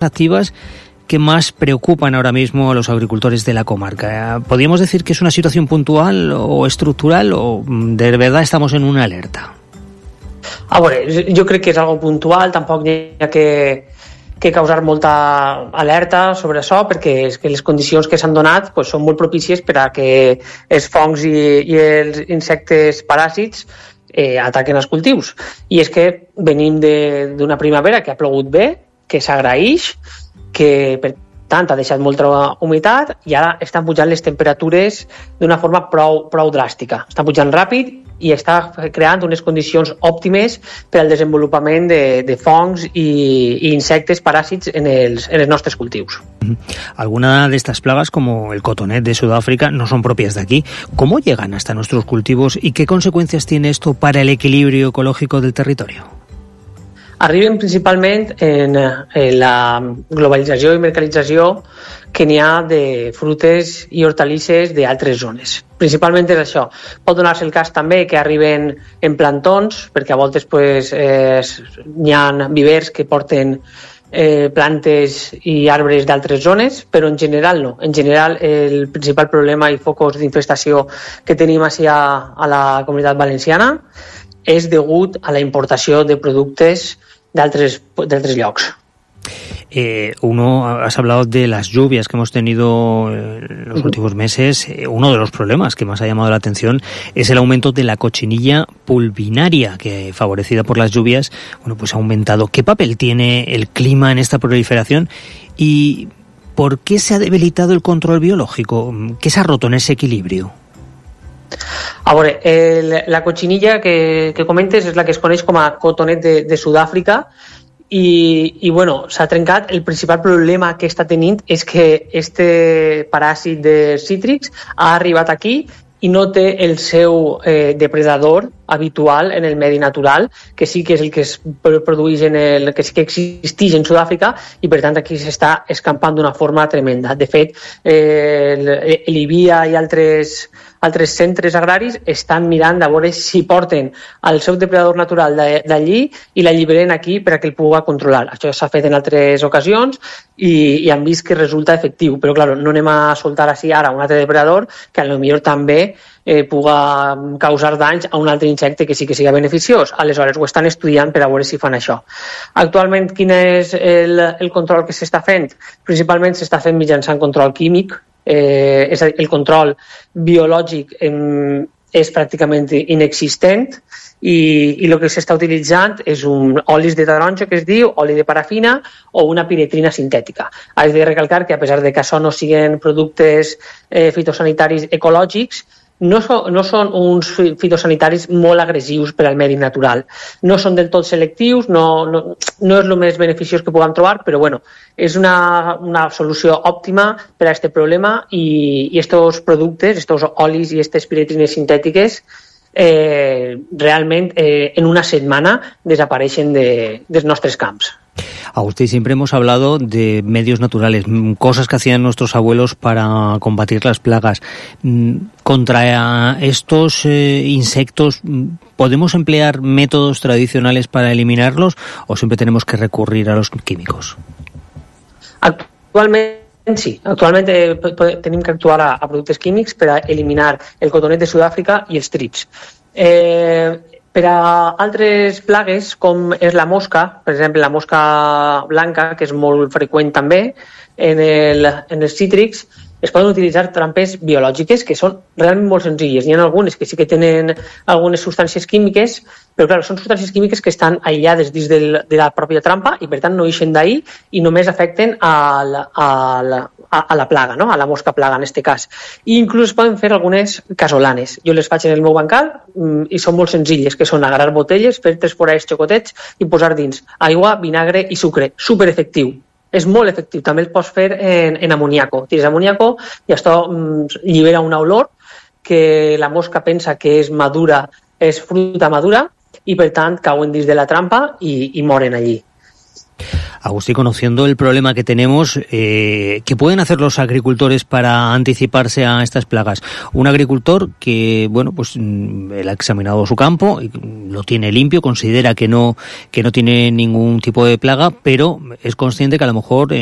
activas que más preocupan ahora mismo a los agricultores de la comarca? ¿Podríamos decir que es una situación puntual o estructural o de verdad estamos en una alerta? Jo crec que és algo puntual, tampoc hi ha que causar molta alerta sobre això, perquè és que les condicions que s'han donat són molt propícies per a que els fongs i els insectes paràsits ataquen els cultius. I és que venim d'una primavera que ha plogut bé, que s'agraeix, que per tant ha deixat molta humitat i ara estan pujant les temperatures d'una forma prou dràstica. Estan pujant ràpid i està creant unes condicions òptimes per al desenvolupament de fongs i insectes paràsits en els nostres cultius. Algunas de estas plagas, como el cotonet de Sudáfrica, no son propias de aquí. ¿Cómo llegan hasta nuestros cultivos y qué consecuencias tiene esto para el equilibrio ecológico del territorio? Arriben principalment en la globalització i mercantilització que n'hi ha de frutes i hortalisses d'altres zones. Principalment és això. Pot donar-se el cas també que arriben en plantons, perquè a voltes n'hi ha vivers que porten plantes i arbres d'altres zones, però en general no. En general, el principal problema i focus d'infestació que tenim a la Comunitat Valenciana és degut a la importació de productes d'altres llocs. Has hablado de las lluvias que hemos tenido en los últimos meses. Uno de los problemas que más ha llamado la atención es el aumento de la cochinilla pulvinaria, que favorecida por las lluvias, ha aumentado. ¿Qué papel tiene el clima en esta proliferación y por qué se ha debilitado el control biológico? ¿Qué se ha roto en ese equilibrio? A veure, la cochinilla que comentes és la que es coneix com a cotonet de Sud-àfrica i s'ha trencat. El principal problema que està tenint és que este paràsit de cítrics ha arribat aquí i no té el seu depredador habitual en el medi natural, que sí que és el que es produeix que sí que existeix en Sud-àfrica i per tant aquí s'està escampant d'una forma tremenda. De fet, l'IBIA i altres centres agraris estan mirant a veure si porten el seu depredador natural d'allí i l'alliberen aquí per a que el pugui controlar. Això s'ha fet en altres ocasions i han vist que resulta efectiu, però clar, no anem a soltar així ara un altre depredador que potser també pugui causar danys a un altre insecte que sí que sigui beneficiós. Aleshores ho estan estudiant per a veure si fan això. Actualment, quin és el control que s'està fent? Principalment s'està fent mitjançant control químic. És a dir, el control biològic és pràcticament inexistent i el que s'està utilitzant és un olis de taronja, que es diu, oli de parafina o una piretrina sintètica. Has de recalcar que a pesar de que això no siguin productes fitosanitaris ecològics, no són uns fitosanitaris molt agressius per al medi natural. No són del tot selectius, no és el més beneficiós que puguem trobar, però és una solució òptima per a aquest problema i aquests productes, aquests olis i aquestes piretrines sintètiques realment en una setmana desapareixen dels nostres camps. Agustín, siempre hemos hablado de medios naturales, cosas que hacían nuestros abuelos para combatir las plagas. Contra estos insectos, ¿podemos emplear métodos tradicionales para eliminarlos o siempre tenemos que recurrir a los químicos? Actualment sí, tenim que actuar a productes químics per a eliminar el cotonet de Sud-àfrica i els trips. Per a altres plagues, com és la mosca, per exemple la mosca blanca, que és molt freqüent també en els cítrics, es poden utilitzar trampes biològiques que són realment molt senzilles. N'hi ha algunes que sí que tenen algunes substàncies químiques, però clar, són substàncies químiques que estan aïllades dins de la pròpia trampa i per tant no ixen d'ahir i només afecten a la plaga, no? A la mosca plaga en aquest cas. I inclús es poden fer algunes casolanes. Jo les faig en el meu bancal i són molt senzilles, que són agarrar botelles, fer 3 forats xocotets i posar dins aigua, vinagre i sucre. Superefectiu. És molt efectiu. També el pots fer en amoníaco. Tires amoníaco i això llibera una olor que la mosca pensa que és madura, és fruita madura i per tant cauen dins de la trampa i moren allí. Agustín, conociendo el problema que tenemos, ¿qué pueden hacer los agricultores para anticiparse a estas plagas? Un agricultor que, bueno, pues él ha examinado su campo, lo tiene limpio, considera que no tiene ningún tipo de plaga, pero es consciente que a lo mejor